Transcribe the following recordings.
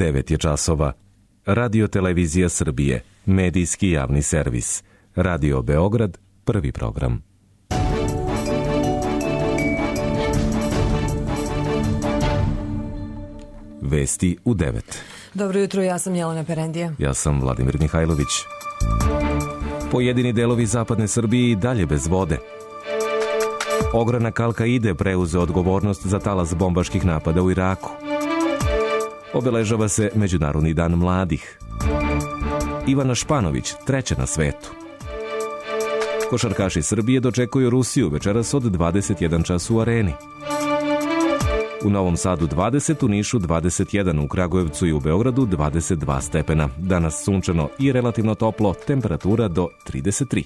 9 je časova. Radio Televizija Srbije, medijski javni servis. Radio Beograd, prvi program. Vesti u 9. Dobro jutro, ja sam Jelena Perendija. Ja sam Vladimir Mihajlović. Pojedini delovi zapadne Srbije i dalje bez vode. Ogranak Al-Kaide preuzeo odgovornost za talas bombaških napada u Iraku. Obeležava se Međunarodni dan mladih. Ivana Španović, treća na svetu. Košarkaši Srbije dočekuju Rusiju večeras od 21 čas u Areni. U Novom Sadu 20, u Nišu 21, u Kragujevcu i u Beogradu 22 stepena. Danas sunčano i relativno toplo, temperatura do 33.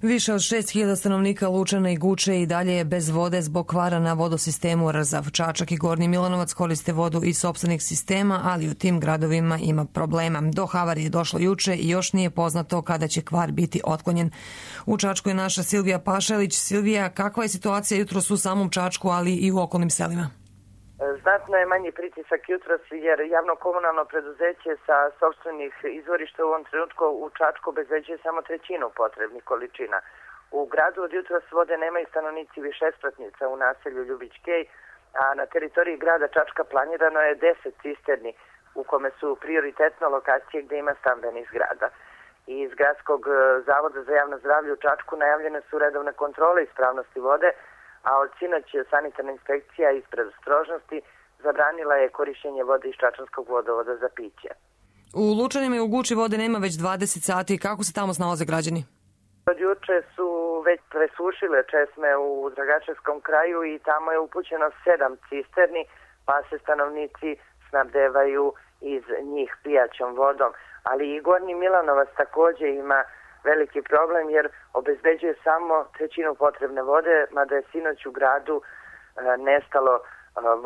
Više od 6.000 stanovnika Lučana i Guče i dalje je bez vode zbog kvara na vodosistemu Rzav. Čačak i Gornji Milanovac koriste vodu iz sopstvenih sistema, ali u tim gradovima ima problema. Do havarije je došlo juče i još nije poznato kada će kvar biti otklonjen. U Čačku je naša Silvija Pašalić. Silvija, kakva je situacija jutros u samom Čačku, ali i u okolnim selima? Znatno je manji pritisak jutros jer javno-komunalno preduzeće sa sopstvenih izvorišta u ovom trenutku u Čačku obezbeđuje samo trećinu potrebnih količina. U gradu od jutros vode nemaju stanovnici višespratnica u naselju Ljubić Kej, a na teritoriji grada Čačka planirano je 10 cisterni u kome su prioritetno lokacije gde ima stambenih zgrada. Iz Gradskog zavoda za javno zdravlje u Čačku najavljene su redovne kontrole ispravnosti vode, a od sinoć sanitarna inspekcija iz predostrožnosti zabranila je korišćenje vode iz Čačanskog vodovoda za piće. U Lučanima i u Guči vode nema već 20 sati. Kako se tamo snalaze građani? Od juče su već presušile česme u Dragačevskom kraju i tamo je upućeno 7 cisterni, pa se stanovnici snabdevaju iz njih pijaćom vodom. Ali i Gornji Milanovac također ima veliki problem jer obezbeđuje samo trećinu potrebne vode, mada je sinoć u gradu nestalo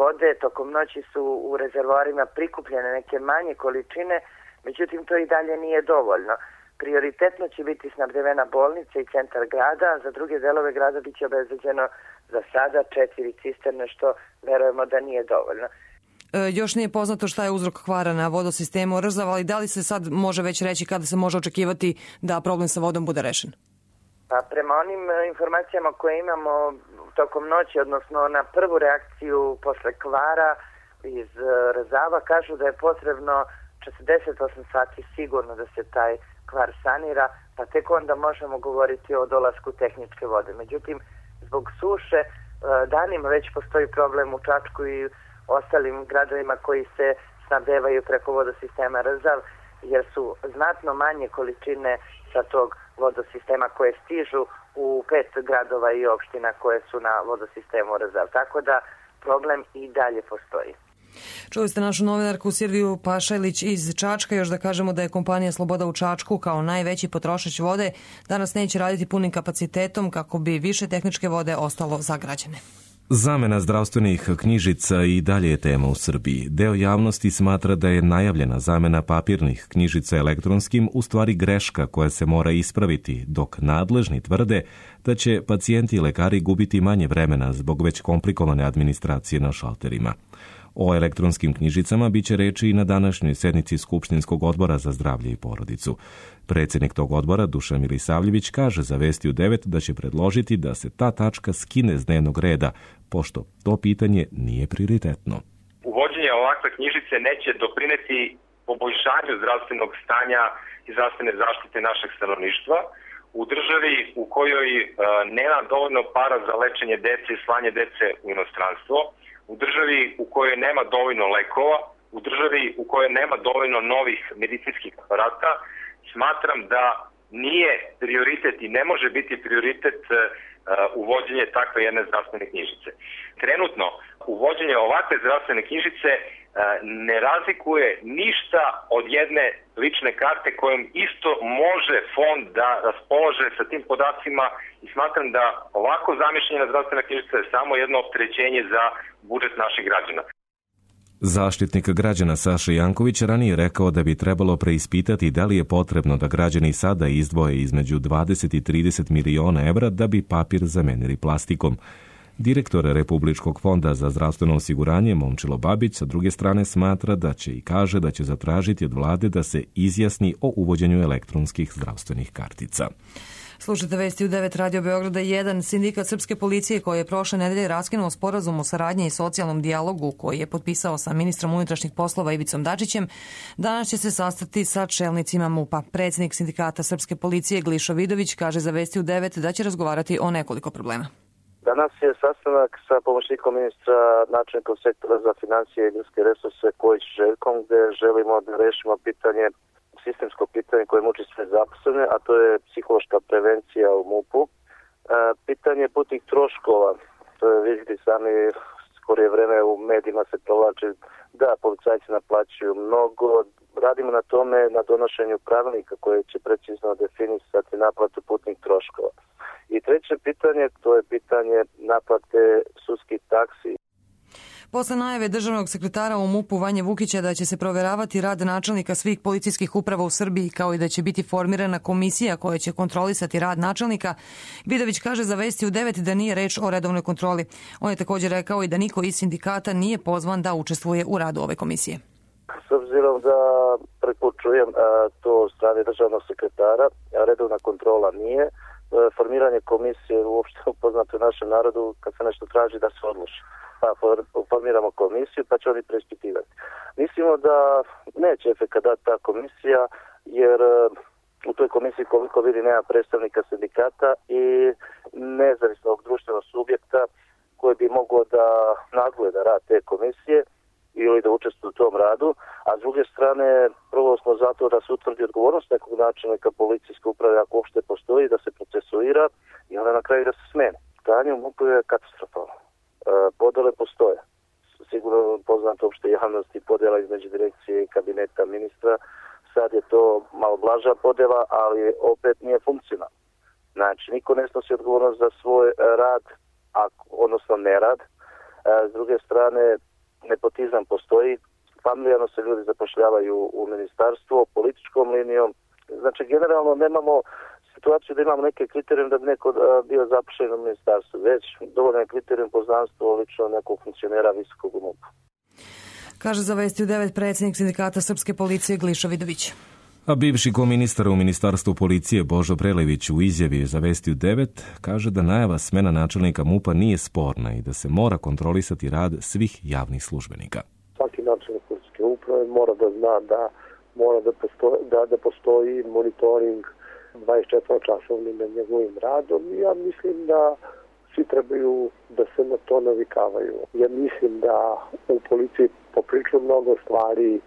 vode. Tokom noći su u rezervoarima prikupljene neke manje količine, međutim to i dalje nije dovoljno. Prioritetno će biti snabdevena bolnica i centar grada, a za druge delove grada biće obezbeđeno za sada 4 cisterne, što verujemo da nije dovoljno. Još nije poznato šta je uzrok kvara na vodosistemu Rzav, ali da li se sad može već reći kada se može očekivati da problem sa vodom bude rešen? Pa prema onim informacijama koje imamo tokom noći, odnosno na prvu reakciju posle kvara iz Rzava, kažu da je potrebno 48 sati sigurno da se taj kvar sanira, pa tek onda možemo govoriti o dolasku tehničke vode. Međutim, zbog suše danima već postoji problem u Čačku i ostalim gradovima koji se snabdevaju preko vodosistema Rzav, jer su znatno manje količine sa tog vodosistema koje stižu u 5 gradova i opština koje su na vodosistemu Rzav. Tako da problem i dalje postoji. Čuli ste našu novinarku Silviju Pašalić iz Čačka. Još da kažemo da je kompanija Sloboda u Čačku kao najveći potrošač vode danas neće raditi punim kapacitetom kako bi više tehničke vode ostalo za građane. Zamena zdravstvenih knjižica i dalje je tema u Srbiji. Deo javnosti smatra da je najavljena zamena papirnih knjižica elektronskim u stvari greška koja se mora ispraviti, dok nadležni tvrde da će pacijenti i lekari gubiti manje vremena zbog već komplikovane administracije na šalterima. O elektronskim knjižicama biće reči i na današnjoj sednici Skupštinskog odbora za zdravlje i porodicu. Predsjednik tog odbora, Dušan Milisavljević, kaže za Vesti u 9 da će predložiti da se ta tačka skine s dnevnog reda, pošto to pitanje nije prioritetno. Uvođenje ovakve knjižice neće doprineti poboljšanju zdravstvenog stanja i zdravstvene zaštite našeg stanovništva u državi u kojoj nema dovoljno para za lečenje dece i slanje dece u inostranstvo, u državi u kojoj nema dovoljno lekova, u državi u kojoj nema dovoljno novih medicinskih aparata. Smatram da nije prioritet i ne može biti prioritet uvođenje takve jedne zdravstvene knjižice. Trenutno, uvođenje ovakve zdravstvene knjižice ne razlikuje ništa od jedne lične karte kojom isto može fond da raspolaže sa tim podacima i smatram da ovako zamišljena zdravstvena knjižica je samo jedno opterećenje za budžet naših građana. Zaštitnik građana Saša Janković ranije rekao da bi trebalo preispitati da li je potrebno da građani sada izdvoje između 20 i 30 miliona evra da bi papir zamenili plastikom. Direktor Republičkog fonda za zdravstveno osiguranje Momčilo Babić sa druge strane smatra da će i kaže da će zatražiti od vlade da se izjasni o uvođenju elektronskih zdravstvenih kartica. Slušajte vesti u 9 Radio Beograda 1. Sindikat Srpske policije koji je prošle nedelje raskinuo sporazum o saradnji i socijalnom dijalogu koji je potpisao sa ministrom unutrašnjih poslova Ivicom Dačićem, danas će se sastati sa čelnicima MUP-a. Predsjednik Sindikata Srpske policije Glišo Vidović kaže za vesti u 9 da će razgovarati o nekoliko problema. Danas je sastanak sa pomoćnikom ministra, načelnikom sektora za financije i ljudske resurse Kojić Željkom, gde želimo da rešimo sistemsko pitanje koje muči sve zaposlene, a to je psihološka prevencija u MUP-u. Pitanje putnih troškova, to je vidjeti sami skorije vreme u medijima se provlači da policajci naplaćuju mnogo. Radimo na tome, na donošenju pravilnika koje će precizno definisati naplatu putnih troškova. I treće pitanje, to je pitanje naplate sudskih taksi. Posle najave državnog sekretara u MUP-u Vanje Vukića da će se provjeravati rad načelnika svih policijskih uprava u Srbiji kao i da će biti formirana komisija koja će kontrolisati rad načelnika, Vidović kaže za vesti u 9 da nije reč o redovnoj kontroli. On je također rekao i da niko iz sindikata nije pozvan da učestvuje u radu ove komisije. S obzirom da prepočujem to od strane državnog sekretara, redovna kontrola nije, formiranje komisije uopšte upoznato našem narodu kad se nešto traži da se odluči. Pa formiramo komisiju pa će oni preispitivati. Mislimo da neće efekat dati ta komisija jer u toj komisiji koliko vidi nema predstavnika sindikata i nezavisnog društvenog subjekta koji bi mogao da nadgleda rad te komisije ili da učestvuje u tom radu, a s druge strane prvo smo zato da se utvrdi odgovornost nekog načelnika policijske uprave ako uopšte postoji, da se procesuira i onda na kraju da se smeni. Stanje u MUP-u je katastrofalno. Podele postoje. Sigurno poznato opšte javnosti podela između direkcije i kabineta ministra. Sad je to malo blaža podela, ali opet nije funkcionalno. Znači, niko ne snosi odgovornost za svoj rad, odnosno nerad. S druge strane, nepotizam postoji. Familijarno se ljudi zapošljavaju u ministarstvo, političkom linijom. Znači, generalno nemamo situaciju da imamo neke kriterijum da bi neko bio zapošljen u ministarstvu, već dovoljno je kriterijum poznanstvo lično nekog funkcionera visokog u MUP-u. Kaže za vesti u 9 predsjednik Sindikata Srpske policije Glišo Vidović. A bivši koministar u Ministarstvu policije Božo Prelević u izjavi za vesti u 9 kaže da najava smena načelnika MUP-a nije sporna i da se mora kontrolisati rad svih javnih službenika. Svaki načelnik policijske uprave mora da zna da mora da postoji monitoring 24-časovni na njegovim radom i ja mislim da svi trebaju da se na to navikavaju. Ja mislim da u policiji poprilično mnogo stvari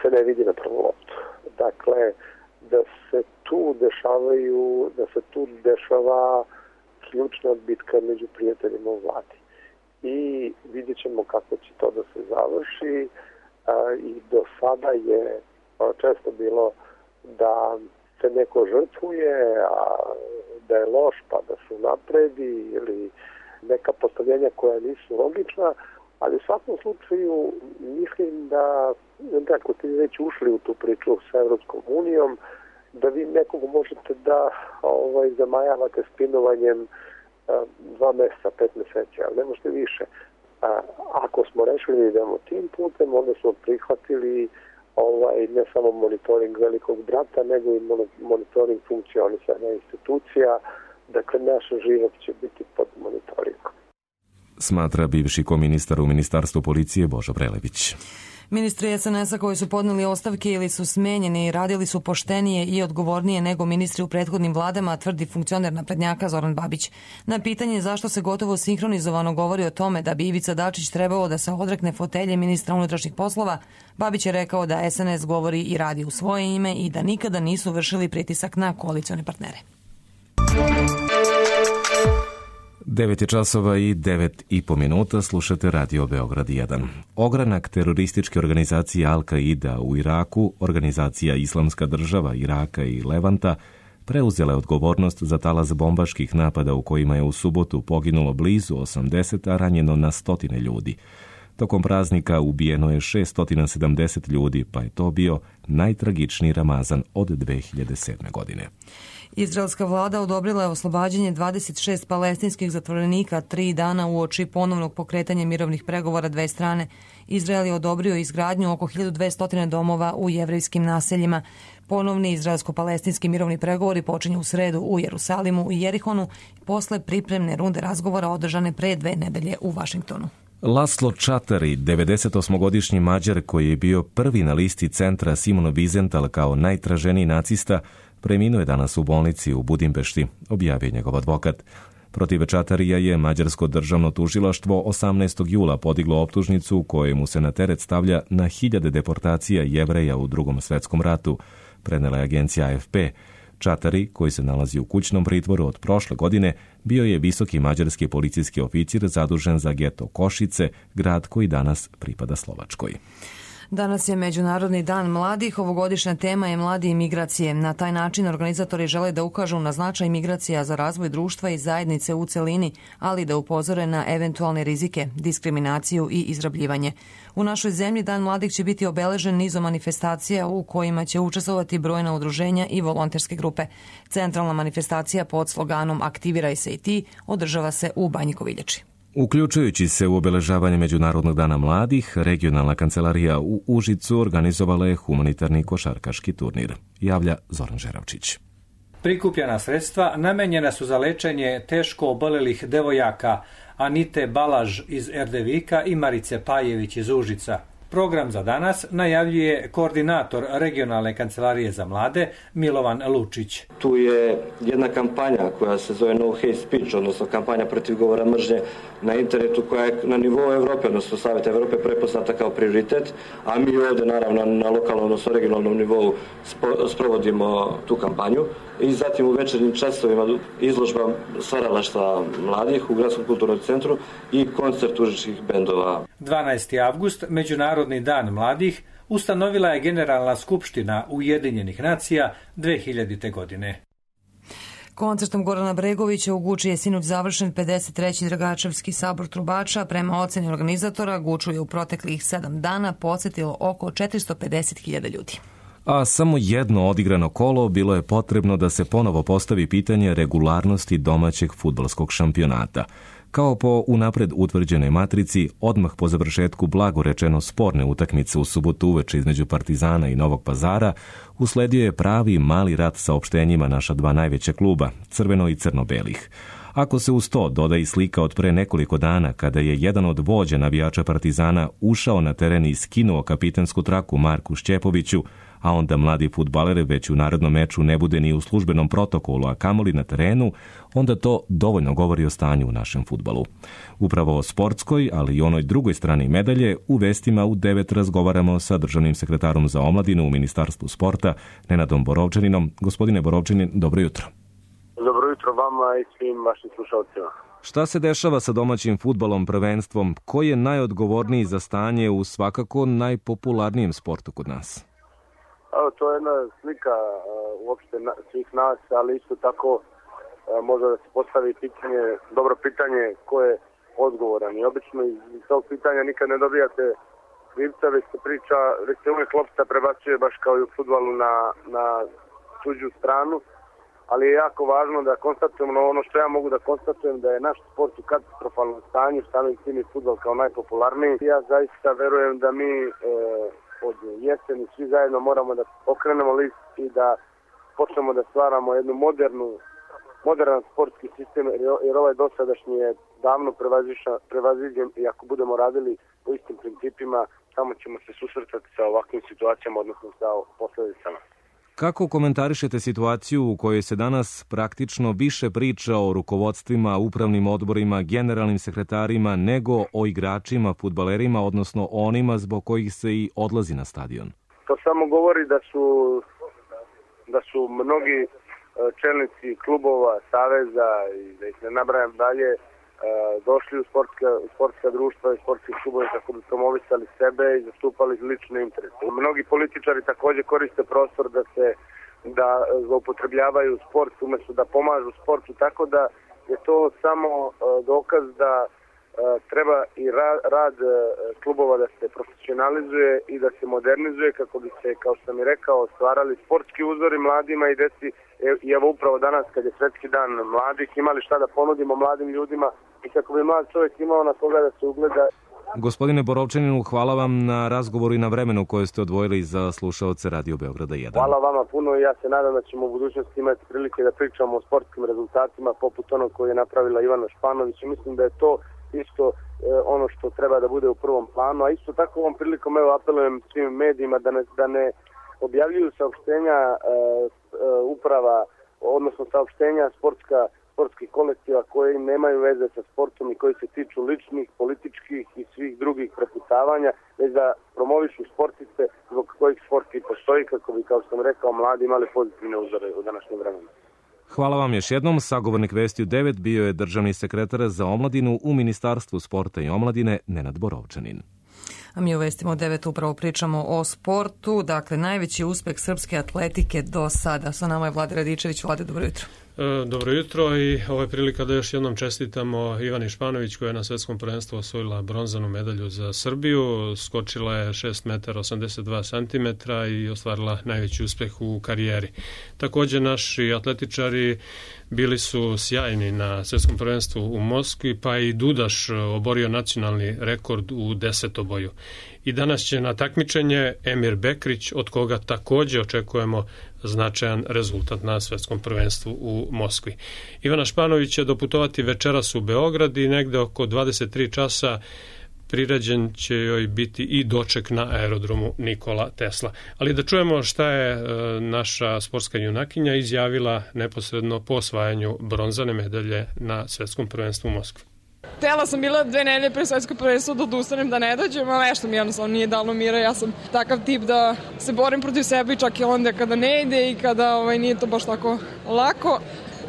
se ne vidi na prvu loptu. Dakle, da se tu dešava ključna bitka među prijateljima u vladi. I vidjet ćemo kako će to da se završi i do sada je često bilo da se neko žrtvuje, a da je loš pa da se napredi ili neka postavljenja koja nisu logična, ali u svakom slučaju mislim da ako ste već ušli u tu priču sa Evropskom unijom, da vi nekog možete da zamajavate spinovanjem 2 mjeseca, 5 mjeseci, ali ne možete više. Ako smo rešili da idemo tim putem, onda smo prihvatili ne samo monitoring velikog brata, nego i monitoring funkcionisanja institucija. Dakle, naš život će biti pod monitoringom. Smatra bivši koministar u Ministarstvu policije Božo Prelević. Ministri SNS-a koji su podneli ostavke ili su smenjeni radili su poštenije i odgovornije nego ministri u prethodnim vladama, tvrdi funkcioner naprednjaka Zoran Babić. Na pitanje zašto se gotovo sinhronizovano govori o tome da bi Ivica Dačić trebao da se odrekne fotelje ministra unutrašnjih poslova, Babić je rekao da SNS govori i radi u svoje ime i da nikada nisu vršili pritisak na koalicione partnere. 9 je časova i 9,5 minuta, slušate Radio Beograd 1. Ogranak terorističke organizacije Al-Qaida u Iraku, organizacija Islamska država Iraka i Levanta, preuzela je odgovornost za talas bombaških napada u kojima je u subotu poginulo blizu 80, a ranjeno na 100 ljudi. Tokom praznika ubijeno je 670 ljudi, pa je to bio najtragičniji Ramazan od 2007. godine. Izraelska vlada odobrila je oslobađanje 26 palestinskih zatvorenika 3 dana uoči ponovnog pokretanja mirovnih pregovora dve strane. Izrael je odobrio izgradnju oko 1200 domova u jevrejskim naseljima. Ponovni izraelsko-palestinski mirovni pregovori počinju u sredu u Jerusalimu i Jerihonu posle pripremne runde razgovora održane pre 2 nedelje u Vašingtonu. Laslo Čatari, 98-godišnji Mađar koji je bio prvi na listi centra Simona Wiesenthal kao najtraženiji nacista, preminuo je danas u bolnici u Budimpešti, objavio njegov advokat. Protiv Čatarija je Mađarsko državno tužilaštvo 18. jula podiglo optužnicu kojemu se na teret stavlja na hiljade deportacija Jevreja u Drugom svetskom ratu, prenela je agencija AFP. Čatari, koji se nalazi u kućnom pritvoru od prošle godine, bio je visoki mađarski policijski oficir zadužen za geto Košice, grad koji danas pripada Slovačkoj. Danas je Međunarodni dan mladih. Ovogodišnja tema je mladi i migracije. Na taj način organizatori žele da ukažu na značaj migracija za razvoj društva i zajednice u celini, ali da upozore na eventualne rizike, diskriminaciju i izrabljivanje. U našoj zemlji Dan mladih će biti obeležen nizom manifestacija u kojima će učestvovati brojna udruženja i volonterske grupe. Centralna manifestacija pod sloganom Aktiviraj se i ti održava se u Banji Koviljači. Uključujući se u obeležavanje Međunarodnog dana mladih, regionalna kancelarija u Užicu organizovala je humanitarni košarkaški turnir. Javlja Zoran Žeravčić. Prikupljena sredstva namenjena su za lečenje teško obolelih devojaka Anite Balaž iz Erdevika i Marice Pajević iz Užica. Program za danas najavljuje koordinator regionalne kancelarije za mlade Milovan Lučić. Tu je jedna kampanja koja se zove No Hate Speech, odnosno kampanja protiv govora mržnje na internetu koja je na nivou Evrope, odnosno Saveta Evrope prepoznata kao prioritet, a mi ovdje naravno na lokalnom, odnosno regionalnom nivou sprovodimo tu kampanju. I zatim u večernjim časovima izložba stvaralaštva mladih u Gradskom kulturnom centru i koncert užičkih bendova. 12. avgust, Međunarodni dan mladih, ustanovila je Generalna skupština Ujedinjenih nacija 2000. godine. Koncertom Gorana Bregovića u Guči je sinoć završen 53. Dragačevski sabor trubača. Prema oceni organizatora, Guču je u proteklih 7 dana posetilo oko 450.000 ljudi. A samo jedno odigrano kolo bilo je potrebno da se ponovo postavi pitanje regularnosti domaćeg fudbalskog šampionata. Kao po unapred utvrđenoj matrici, odmah po završetku blago rečeno sporne utakmice u subotu uveče između Partizana i Novog Pazara, usledio je pravi mali rat saopštenjima naša dva najveća kluba, crveno i crno-belih. Ako se uz to doda i slika od pre nekoliko dana kada je jedan od vođa navijača Partizana ušao na teren i skinuo kapitensku traku Marku Šćepoviću, a onda mladi fudbaler već u narednom meču ne bude ni u službenom protokolu, a kamoli na terenu, onda to dovoljno govori o stanju u našem fudbalu. Upravo o sportskoj, ali i onoj drugoj strani medalje, u vestima u 9 razgovaramo sa državnim sekretarom za omladinu u Ministarstvu sporta, Nenadom Borovčaninom. Gospodine Borovčanin, dobro jutro. Dobro jutro vama i svim vašim slušalcima. Šta se dešava sa domaćim fudbalom prvenstvom? Ko je najodgovorniji za stanje u svakako najpopularnijem sportu kod nas? To je jedna slika uopšte svih nas, ali isto tako može da se postavi pitanje, dobro pitanje ko je odgovoran. I obično iz tog pitanja nikad ne dobijate krivca, već se uvijek lopta prebacuje baš kao i u fudbalu na tuđu stranu. Ali je jako važno da konstatujemo ono što ja mogu da konstatujem, da je naš sport u katastrofalnom stanju, samim tim i fudbal kao najpopularniji. Ja zaista verujem da mi od jeseni svi zajedno moramo da okrenemo list i da počnemo da stvaramo jednu modern sportski sistem, jer ovaj dosadašnji je davno prevaziđen i ako budemo radili po istim principima, samo ćemo se susretati sa ovakvim situacijama, odnosno sa posljedicama. Kako komentarišete situaciju u kojoj se danas praktično više priča o rukovodstvima, upravnim odborima, generalnim sekretarima nego o igračima, fudbalerima, odnosno onima zbog kojih se i odlazi na stadion? To samo govori da su mnogi čelnici klubova, saveza i da ih ne nabrajam dalje, došli u sportska društva i sportske klubove kako bi promovisali sebe i zastupali lične interese. Mnogi političari također koriste prostor da zloupotrebljavaju sport umjesto da pomažu sportu, tako da je to samo dokaz da treba i rad klubova da se profesionalizuje i da se modernizuje kako bi se, kao što sam i rekao, stvarali sportski uzori mladima i deci. I evo upravo danas kad je Svetski dan mladih imali šta da ponudimo mladim ljudima i kako bi mlad čovjek imao na koga da se ugleda. Gospodine Borovčaninu, hvala vam na razgovoru i na vremenu koje ste odvojili za slušaoce Radio Beograda 1. Hvala vama puno i ja se nadam da ćemo u budućnosti imati prilike da pričamo o sportskim rezultatima poput onog koje je napravila Ivana Španović i mislim da je to isto ono što treba da bude u prvom planu, a isto tako ovom prilikom apelujem svim medijima da ne objavljuju saopštenja uprava, odnosno saopštenja sportskih kolektiva koji nemaju veze sa sportom i koji se tiču ličnih, političkih i svih drugih prepucavanja, već da promovišu sportiste zbog kojih sport i postoji kako bi, kao što sam rekao, mladi imali pozitivne uzore u današnjem vremenu. Hvala vam još jednom. Sagovornik Vesti u 9 bio je državni sekretar za omladinu u Ministarstvu sporta i omladine Nenad Borovčanin. A mi u Vestima u 9 upravo pričamo o sportu. Dakle, najveći uspeh srpske atletike do sada. Sa nama je Vlade Radičević. Vlade, dobro jutro. Dobro jutro i ovo je prilika da još jednom čestitamo Ivani Španović koja je na svetskom prvenstvu osvojila bronzanu medalju za Srbiju. Skočila je 6,82 m i ostvarila najveći uspeh u karijeri. Također naši atletičari bili su sjajni na svetskom prvenstvu u Moskvi, pa i Dudaš oborio nacionalni rekord u desetoboju. I danas će na takmičenje Emir Bekrić, od koga također očekujemo značajan rezultat na svetskom prvenstvu u Moskvi. Ivana Španović će doputovati večeras u Beograd i negde oko 23 časa priređen će joj biti i doček na aerodromu Nikola Tesla. Ali da čujemo šta je naša sportska junakinja izjavila neposredno po osvajanju bronzane medalje na svetskom prvenstvu u Moskvi. Htjela sam bila 2 nedelje pre svetsko prvenstvo da odustanem da ne dođem, ali nešto mi jednostavno nije dalo mira. Ja sam takav tip da se borim protiv sebe čak i onda kada ne ide i kada nije to baš tako lako.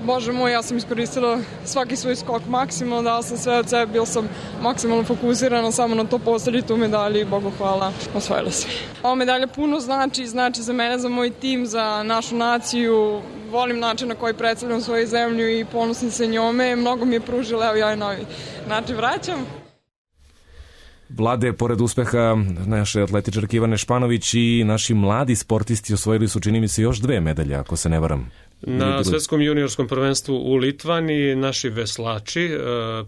Bože moj, ja sam iskoristila svaki svoj skok maksimalno, dala sam sve od sebe, bil sam maksimalno fokusirana samo na to postaviti tu medalju i Bogu hvala, osvojila sve. Ova medalja puno znači za mene, za moj tim, za našu naciju. Volim način na koji predstavljam svoju zemlju i ponosim se njome. Mnogo mi je pružila, evo ja je novi način vraćam. Vlade, pored uspeha naše atletičarke Ivane Španović i naši mladi sportisti osvojili su, čini mi se, još 2 medalje, ako se ne varam. Na svetskom juniorskom prvenstvu u Litvani naši veslači,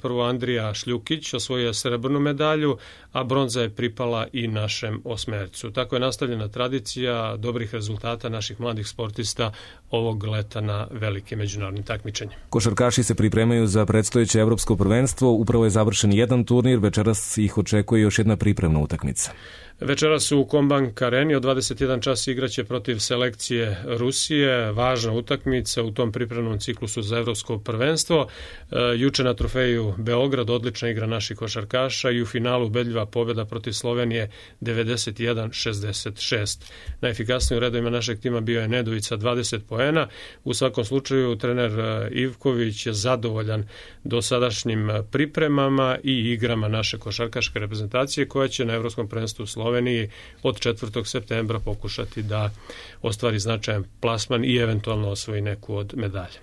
prvo Andrija Šljukić osvojio je srebrnu medalju, a bronza je pripala i našem osmercu. Tako je nastavljena tradicija dobrih rezultata naših mladih sportista ovog leta na velikim međunarodnim takmičenjima. Košarkaši se pripremaju za predstojeće evropsko prvenstvo. Upravo je završen jedan turnir, večeras ih očekuje još jedna pripremna utakmica. Večeras u Kombank Areni od 21 čas igraće protiv selekcije Rusije. Važna utakmica u tom pripremnom ciklusu za evropsko prvenstvo. Juče na trofeju Beograd odlična igra naših košarkaša i u finalu ubedljiva pobjeda protiv Slovenije 91-66. Najefikasniji u redovima našeg tima bio je Nedović sa 20 poena. U svakom slučaju trener Ivković je zadovoljan dosadašnjim pripremama i igrama naše košarkaške reprezentacije koja će na evropskom prvenstvu u Sloveniji od 4. septembra pokušati da ostvari značajan plasman i eventualno osvoji neku od medalja.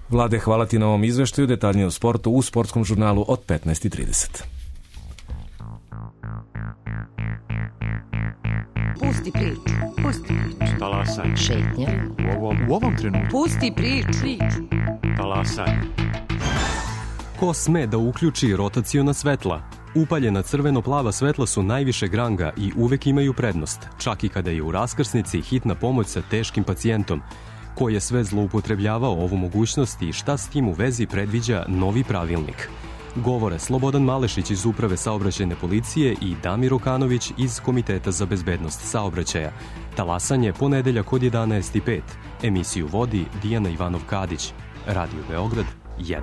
Vlade, hvala ti na ovom izveštaju. Detaljnije o sportu u sportskom žurnalu od 15:30. Pusti priču. Talasaj. Šetnja. U ovom trenutku. Pusti priču. Talasaj. Ko sme da uključi rotaciona svetla? Upaljena crveno-plava svetla su najvišeg ranga i uvek imaju prednost, čak i kada je u raskrsnici hitna pomoć sa teškim pacijentom. Ko je sve zloupotrebljavao ovu mogućnost i šta s tim u vezi predviđa novi pravilnik? Govore Slobodan Malešić iz Uprave saobraćajne policije i Damir Okanović iz Komiteta za bezbednost saobraćaja. Talasanje ponedeljak od 11:05. Emisiju vodi Dijana Ivanov-Kadić. Radio Beograd 1.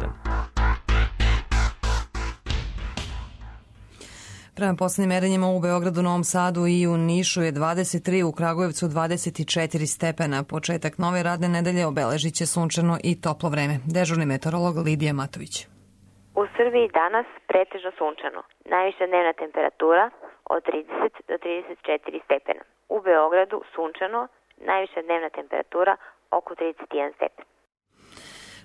Prema poslednjim merenjima u Beogradu, Novom Sadu i u Nišu je 23, u Kragujevcu 24 stepena. Početak nove radne nedelje obeležit će sunčano i toplo vreme. Dežurni meteorolog Lidija Matović. U Srbiji danas pretežno sunčano. Najviša dnevna temperatura od 30 do 34 stepena. U Beogradu sunčano, najviša dnevna temperatura oko 31 stepen.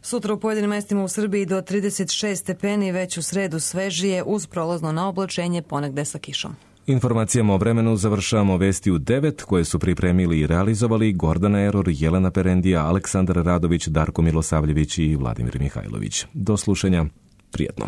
Sutra u pojedinim mestima u Srbiji do 36 stepeni, već u sredu svežije uz prolazno naoblačenje, ponegde sa kišom. Informacijama o vremenu završavamo vesti u 9 koje su pripremili i realizovali Gordana Eror, Jelena Perendija, Aleksandar Radović, Darko Milosavljević i Vladimir Mihajlović. Do slušanja, prijetno.